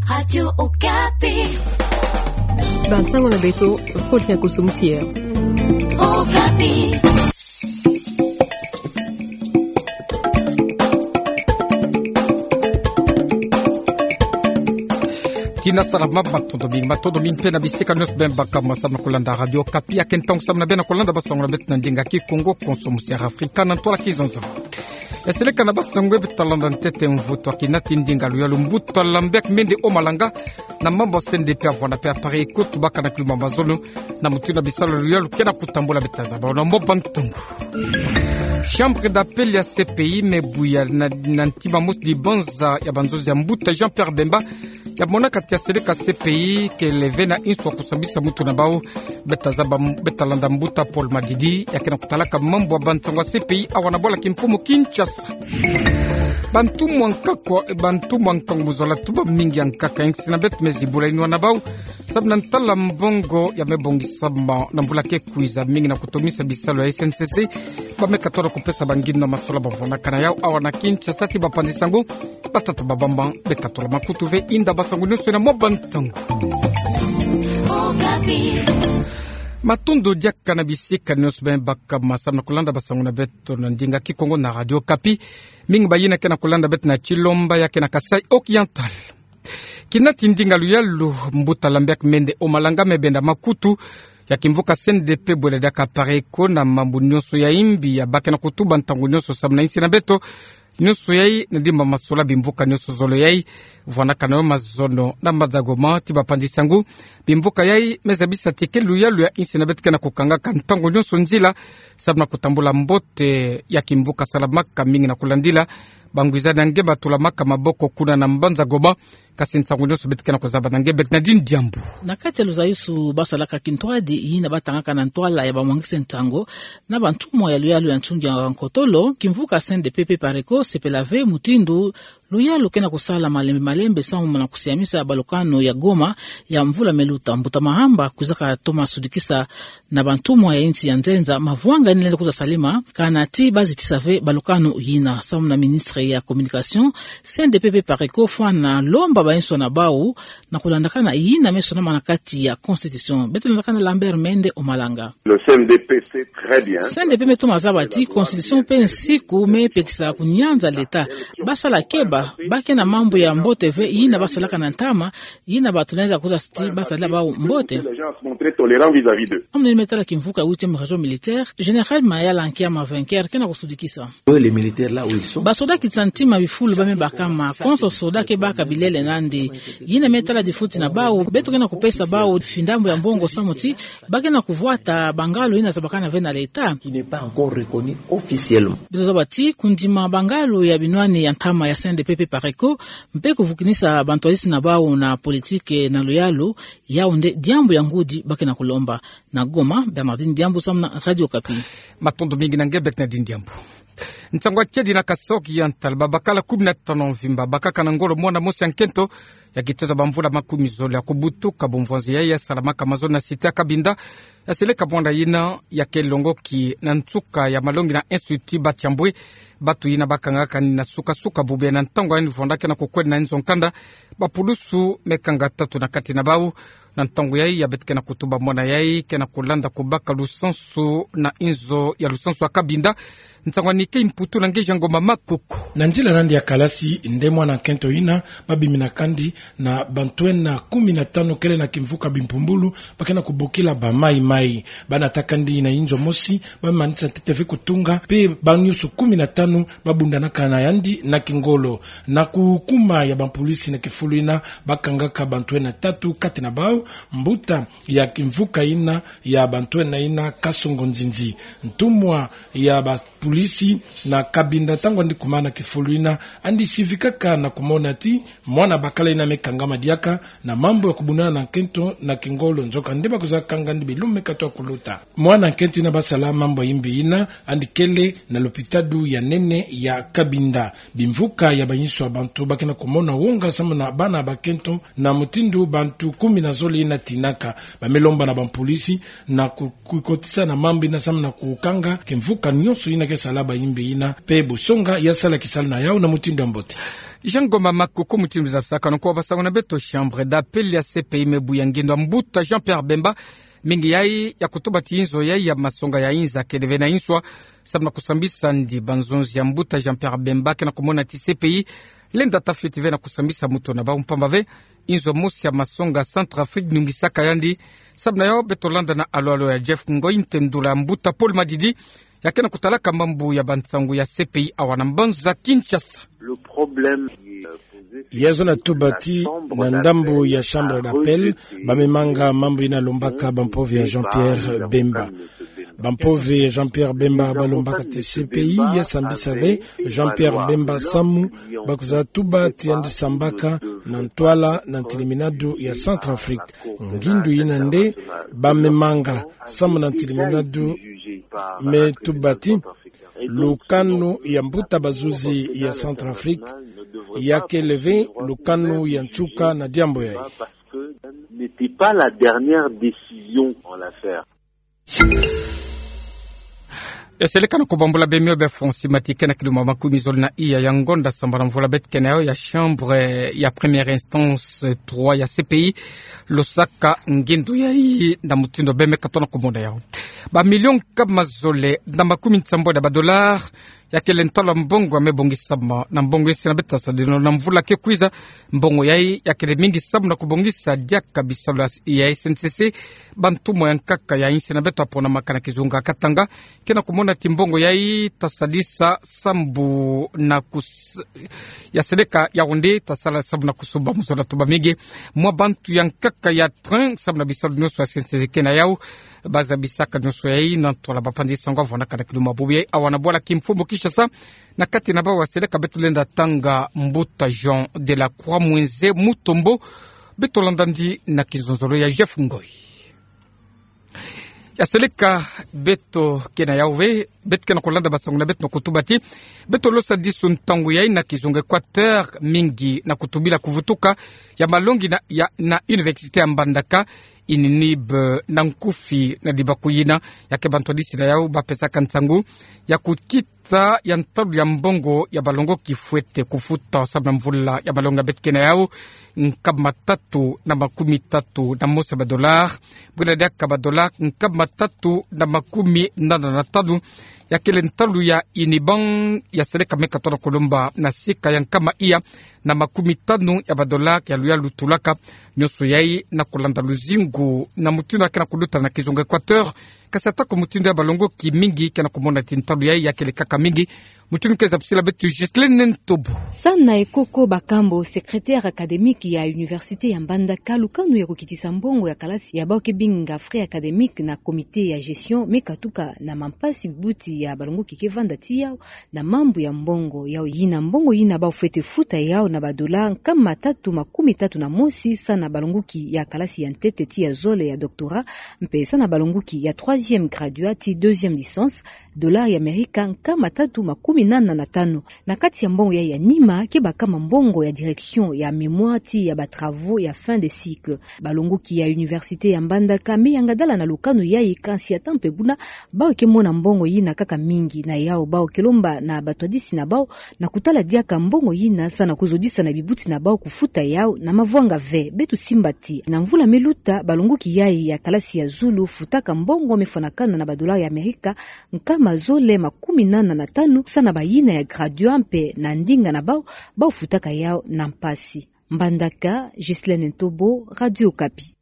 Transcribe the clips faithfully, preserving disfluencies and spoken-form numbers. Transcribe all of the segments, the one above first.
Radio Okapi. Bansango na beto, Fulgence Kosso Moussier. Okapi. Tina salama, matondo mingi, matondo mingi mpe na bisika nyonso bima baka mwa samu na kulanda Radio Okapi. Ya ke ntangu samu na beno na kulanda bansango na beto na ndinga Kikongo, Konso Moussier Afrika na ntwala Kizunzulu. Ya seleka na bansango ya beto, talanda ntete mvutu ya kinati ndinga luyalu mbuta Lambert Mende Omalanga na mambu ya C N D P, avwanda mpe ya Apareco, tubaka na kilumbu ya mazono na mutindu ya bisalu ya luyalu ke na kutambula. Beta zaba na mwa bantangu. Chambre d'appel ya C P I me buya na, na ntima mosi dibanza ya banzozi ya mbuta Jean-Pierre Bemba, ya mona kati ya seleka C P I ke leve na insu ya kusambisa mutu na bau. Beta zaba, beta landa mbuta Paul Madidi, ya ke na kutalaka mambu ya bansango ya C P I awa na bwala kimfumu Kinshasa. Bantumwa nkakwa, bantumwa nkangu mu zola tuba mingi ya nkaka ya insi na beto me zibula inwa na bau samu na ntala mbongo ya me bongisama na mvula ke kwiza, mingi na kutomisa bisalu ya S N C C. Ba me katola kupesa banginwa masola bavwanaka na yau awa na Kinshasa ti bapanzi sango. Batata ba bamba, be katola makutu ve inda bansango nyonso na mwa bantangu. Matondo diaka na bisika nyonso bima baka mwa samu na kulanda bansango na beto na ndinga Kikongo na Radio Okapi. Mingi bayina ke na kulanda beto na Tshilombo ya ke na Kasaï Oriental. Kinati ndinga luyalu mbuta Lambert Mende Omalanga me benda makutu ya kimvuka C N D P bwele diaka Apareco na mambu nyonso ya imbi ya ba ke na kutuba ntangu nyonso samu na insi na beto. Nyonso yai na ndimba masola bimvuka nyonso zole yai vwanaka na yo mazono na mbanza Goma ti bapanzi sango. Bimvuka yai me zabisa ti ke luyalu ya insi na beto ke na kukangaka ntangu nyonso nzila samu na kutambula mbote ya kimvuka salamaka, mingi na kulandila bangwizani ya nge batulamaka maboko kuna na mbanza Goma. Kasi nsango nyonso beto ke na kuzaba na nge Bernardine Diambu. Na kati ya luzayusu basalaka kintwadi yina batangaka na ntwala ya bamwangisi nsango na bantumwa ya luyalu ya nsungi ya nkotolo, kimvuka C N D P mpe Apareco sepela ve mutindu luyalu ke na kusala malembe malembe samu na kusiamisa balukanu ya Goma ya mvula me luta. Mbuta Mahamba kwizaka toma sudikisa na bantumwa ya insi ya nzenza mavwanga yina lenda kwiza salama, kana ti bazitisa ve balukanu yina. Samu na ministre ya communication, C N D P mpe Apareco fwana lomba bainso na bau na kulandakana yina me sonama na kati ya constitution. Beto landakana Lambert Mende Omalanga. Le C N D P sait très bien. C N D P me toma zaba ti constitution mpe nsiku me pekisa kunyanza l'État. Basala keba, ba ke na mambu ya mbote ve yina basalaka na ntama, yina bato lenda kwiza ti basalila bau mbote. Les gens se montrent tolérants vis-à-vis d'eux. Samu na yina me tala kimvuka huitième région militaire, Général Mayala Nkiama Vainqueur ke na kusudikisa. Basoda kiti ya ntima bifulu ba me baka ma konso soda ke baka bilele nandi. Yina me tala difuti na bau, beto ke na kupesa bau findambu ya mbongo samu ti ba ke na kuvwata bangalu yina zabakana ve na l'État. Qui n'est pas encore reconnu officiellement. Beto zaba ti kundima bangalu ya binwani ya ntama ya C N D P mpe Apareco, mpe kuvukinisa bantwadisi na bau na politique na luyalu, yau nde diambu ya ngudi ba ke na kulomba. Na Goma, Bernardine Diambu samu na Radio Okapi. Matondo mingi na nge Bernardine Diambu. Nsango ya kedi na Kasaï Oriental, babakala kumi na tanu mvimba bakaka na ngolo mwana mosi ya nkento ya kitoza bamvula makumi zole ya kubutuka. Bumvwanzi yai ya salamaka mazono na cité ya Cabinda, ya seleka mwana yina ya ke longoki na nsuka ya malongi na Institut Batiambwe. Batu yina bakangaka ni na suka-suka bubu ya na ntangu yina vwanda ke na kukwenda na inzo nkanda, bapulusu me kanga tatu na kati na bau. Na ntangu yai ya beto ke na kutuba mwana yai ke na kulanda kubaka lusansu na inzo ya lusansu ya Cabinda. Nsangu ya Nike Imputu na nge Jean Ngoma Makuku. Na nzila nandi ya kalasi nde mwana nkento yina babimina kandi na bantwenia kumi na tanu kele na kimvuka bimpumbulu ba ke na kubokila ba Mai Mai. Banata kandi na inzo mosi, bamanisa ntete ve kutunga, mpe banyusu kumi na tanu babundanaka na yandi na kingolo. Na kukuma ya bapolisi na kifulu yina, bakangaka bantwenia tatu kati na bau, mbuta ya kimvuka yina ya bantwenia yina Kasongo Nzinzi. Ntumwa ya bapolisi na Cabinda, ntangu andi kuma na kifulu yina, andi sivikaka na kumona ti mwana bakala yina me kangama diaka na mambu ya kubundana na nkento na kingolo, nzokande ba kwiza kanga yandi bilumbu me katoa kuluta. Mwana nkento yina basala mambu ya imbi yina andi kele na lopitalo ya nene ya Cabinda. Bimvuka ya banyusu ya bantu ba ke na kumona wonga samu na bana bakento na mutindu bantu kumi na zole yina tinaka. Ba me lomba na bapolisi na ku-, kukotisa na mambu yina samu na kukanga kimvuka nyonso yina ke sala ba imbi yina, mpe busonga ya sala kisalu na yau na mutindu ya mbote. Jean Ngoma Makuku, mutindu zabasaka nonko wa basango na beto. Chambre d'appel ya C P I me bu ya ngindo a mbuta Jean-Pierre Bemba, mingi yayi ya kutubati inzo yayi ya masonga ya inza kele ve na inswa, sababu na kusambisa ndi banzonzi ya mbuta Jean-Pierre Bemba, kena kumona ti C P I lenda tafioti ve na kusambisa moto na bau mpamba ve inzo mosi ya masonga Centrafrique nungisaka yandi. Sababu na yau beto landa na alo-alo ya Jeff Ngoy, ntendula mbuta Paul Madidi, ya kena kutalaka mambu ya bansangu ya C P I awa na mbanza Kinshasa. Le problème, euh, posé, c'est que la chambre d'appel a rejeté le recours de Jean-Pierre Bemba. Bampove ya Jean-Pierre Bemba, bampove ya Jean-Pierre Bemba balombaka ti C P I ya sambisa ve Jean-Pierre Bemba samu ba kwiza tubati yandi sambaka na ntwala na ntiliminadu ya Centrafrique. Ngindu yina nde bamemanga samu na ntiliminadu me tubati lukanu ya mbuta bazuzi ya Centrafrique, ya kele ve lukanu ya nsuka na diambu yayi. N'était pas la dernière décision en l'affaire. Eseleka na kubambula bemio be fonsi mati kena kiluma makumi zole na iya ya ngonda sambala mvula beto kena yau ya chambre ya première instance trois ya C P I losaka ngindu yayi na mutindu beme katona kumona yau. Ba million nkama zole na makumi nsambwadi ya ba dollar ya kele ntalu ya mbongo ya me bongisama na mbongo yinsi na beto tasadila na mvula ke kwiza. Mbongo yayi ya kele mingi samu na kubongisa diaka bisalu ya S N C C, bantumwa ya nkaka ya yinsi na beto aponamaka na kizunga Katanga, kena kumona ti mbongo yayi tasadisa sambu na kus-, ya seleka yau nde tasala sambu na kusumba muzola tuba mingi mwa bantu ya nkaka ya train samu na bisalu nyonso ya S N C C kena yau. Bazabisaka nyonso yayi na ntwala bapanzi sango vwandaka na kiluma bubu yayi awa na bwala kimfumu Kinshasa, na kati na bau ya seleka beto lenda tanga mbuta Jean de la Croix Mwenze Mutombo. Beto landa ndi na kizonzolo ya Jeff Ngoy. Ya seleka beto kena yau ve, beto kena kulanda basangu na beto na kutubati beto losa disu ntangu yayi na kizunga Équateur mingi na kutubila kuvutuka ya malongi na, ya, na université ya Mbandaka, ININIB na nkufi na dibaku yina, ya ke bantu adisi na yau bapesaka nsangu ya kukita ya ntalu ya mbongo ya balongoki fwete kufuta samu na mvula ya malongi ya beto kena yau, nkama tatu na makumi tatu na mosi ya ba dollar, bwina diaka ba dollar nkama tatu na makumi nana na tanu, ya kele ntalu ya INIBAN ya seleka me katona kulomba na sika ya nkama iya na makumi tanu ya ba dollar ya luyalu tulaka. Nyonso yayi na kulanda luzingu na mutindu ya kena kuluta na kizunga Équateur. Kasi atako mutindu ya balongoki mingi kena kumona ti ntalu yayi ya kele kaka mingi. Mutindu ke zabisila beto Justine Ntobo. Sana Ekoko Bakambo, secrétaire académique ya université ya Mbandaka, lukanu ya kukitisa mbongo ya kalasi ya bau ke binga frais académiques na comité ya gestion me katuka na mampasi bibuti ya balongoki ke vanda ti yau na mambu ya mbongo yau yina. Mbongo yina bau fwete futa yau na ba dollar nkama tatu makumi tatu na mosi sana balongoki ya kalasi ya ntete ti ya zole ya doctorat, mpe sana balongoki ya troisième graduat ti deuxième licence, dollar ya Amerika nkama tatu makumi nana na tanu. Na kati ya mbongo yayi ya nima ke bakama mbongo ya direction ya mémoire ti ya ba travaux ya fin de cycle. Balongoki ya université ya Mbandaka me yangadala na lukanu yayi, kansi ata mpe buna bau ke mona mbongo yina kaka mingi. Na yau bau ke lomba na batwadisi na bau na kutala diaka mbongo yina sana kuzodisa na bibuti na bau kufuta yau na mavwanga ve. Beto simba ti na mvula me luta balongoki yayi ya kalasi ya zulu futaka mbongo me fwanakana na ba dollar ya Amerika nkama zole makumi nana na tanu sana bayina ya graduat mpe na ndinga na bau, bau futaka yau na mpasi. Mbandaka, Ghislaine Ntobo, Radio Okapi.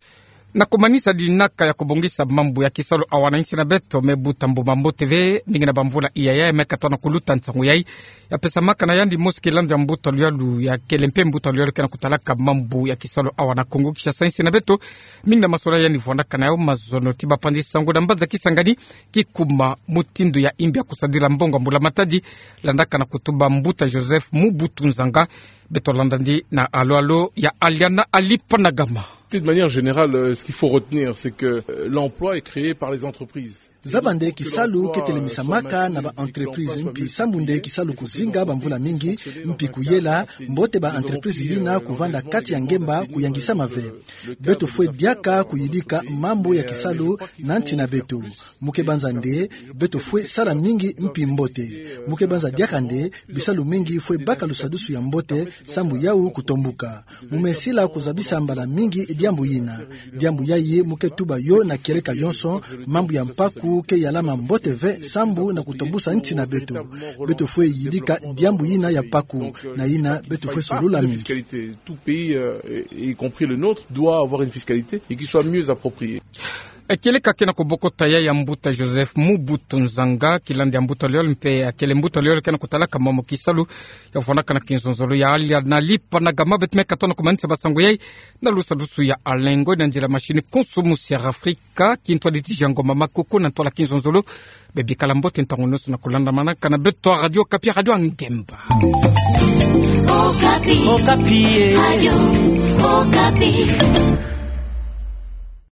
Na kumanisa dinaka ya kubongisa mambu ya kisalu awa na insi na beto, me buta mbuma mbote ve, mingi na bamvula iya yayi me katona kuluta nsangu yayi ya pesamaka na yandi mosi kilandi ya mbuta luyalu ya kele mpe mbuta luyalu kena kutalaka mambu ya kisalu awa na Kongo Kinshasa, insi na beto. Mingi na masolwa yandi vwandaka na yau mazono ti bapanzi sango na mbanza Kisangani, kikuma mutindu ya imbi ya kusadila mbongo ya mbula matadi, landaka na kutuba mbuta Joseph Mubutu Nzanga. Beto landa ndi na alo-alo ya Aliana Alipanagama. De manière générale, euh, ce qu'il faut retenir, c'est que, euh, l'emploi est créé par les entreprises. Zaba nde kisalu ke telemisamaka na ba entreprise mpi sambu nde kisalu kuzinga ba mvula mingi, mpi kuyela mbote ba entreprise yina kuvanda kati ya ngemba kuyangisama ve. Beto fwe diaka kuyidika mambu ya kisalu na nti na beto. Mu ke banza nde beto fwe sala mingi mpi mbote. Mu ke banza diaka nde bisalu mingi fwe baka lusadusu ya mbote sambu yau kutombuka. Mu me sila kuzabisa mbala mingi diambu yina. Diambu yayi mu ke tuba yo na kieleka yonso, mambu ya mpaku ke yalama mbote ve sambu na kutombusa nti na beto. Beto fwe yidika diambu yina ya mpaku, na yina beto fwe solula mingi. Tout pays, euh, y compris le nôtre, doit avoir une fiscalité et qui soit mieux appropriée. E, kieleka ke na kobokota ya ya mbuta Joseph Mobutu Nzanga, kilandi ya mbuta Loyol mpe, e, kele mbuta Loyol ke na kotalaka momo kisalu ya kuvwandaka na kinzonzolo ya alia na lipa na gama. Beto me katono kumanisa basango yayi na lusadusu ya Alengo, na nzila mashini Konso Musi ya Afrika, kintwadi ti Jango Mama Koko na ntwala kinzonzolo. Bebikala mbote ntangu nyonso na kulandamanaka na beto Radio Okapi, Radio ya Ngemba. Okapi. Okapi, eh. Radio Okapi.